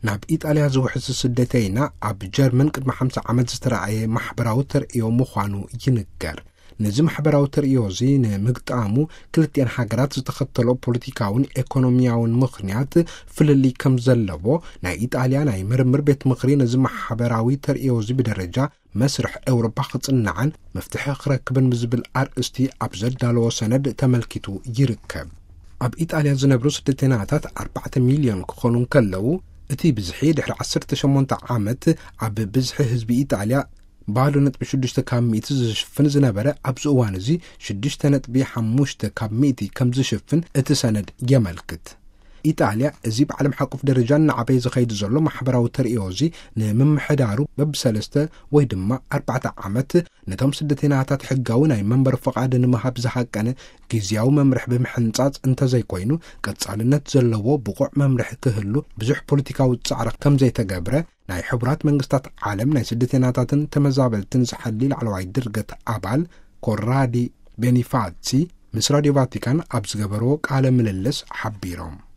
ናብ ኢጣልያ ዝውሕዝ ስደተይና ኣብ ጀርመን ቅድሚ ሓምሳ ዓመት ዝተረኣየ ማሕበራዊ ተርእዮ ምዃኑ ይንገር። ነዚ ማሕበራዊ ተርእዮ እዚ ንምግጣሙ ክልቲኣን ሃገራት ዝተኸተሎ ፖለቲካውን ኤኮኖሚያውን ምኽንያት ፍልልይ ከም ዘለዎ ናይ ኢጣልያ ናይ ምርምር ቤት ምኽሪ ነዚ ማሕበራዊ ተርእዮ እዚ ብደረጃ መስርሕ ኤውሮጳ ክጽናዕን መፍትሒ ክረክብን ብዝብል ኣርእስቲ ኣብ ዘዳለዎ ሰነድ ተመልኪቱ ይርከብ። ኣብ ኢጣልያ ዝነብሩ ስደተናታት ኣርባዕተ ሚልዮን ክኾኑ እንከለዉ፣ እቲ ብዝሒ ድሕሪ ዓሰርተ ሸሞንተ ዓመት ኣብ ብዝሒ ህዝቢ ኢጣልያ ባዶ ነጥቢ ሽዱሽተ ካብ ሚእቲ ዝሽፍን ዝነበረ፣ ኣብዚ እዋን እዚ ሽዱሽተ ነጥቢ ሓሙሽተ ካብ ሚእቲ ከም ዝሽፍን እቲ ሰነድ የመልክት። ኢጣልያ እዚ ብዓለም ሓቁፍ ደረጃ እናዓበየ ዝኸይድ ዘሎ ማሕበራዊ ተርእዮ እዚ ንምምሕዳሩ በብሰለስተ ወይ ድማ ኣርባዕተ ዓመት ነቶም ስደተናታት ሕጋዊ ናይ መንበሪ ፍቓድ ንምሃብ ዝሃቀነ ግዝያዊ መምርሒ ብምሕንጻጽ እንተዘይኮይኑ፣ ቀጻልነት ዘለዎ ብቑዕ መምርሒ ክህሉ ብዙሕ ፖለቲካዊ ጻዕሪ ከም ዘይተገብረ ናይ ሕቡራት መንግስታት ዓለም ናይ ስደተናታትን ተመዛበልትን ዝሓሊ ላዕለዋይ ድርገት ኣባል ኮራዲ ቤኒፋሲ ምስ ራድዮ ቫቲካን ኣብ ዝገበርዎ ቃለ ምልልስ ሓቢሮም።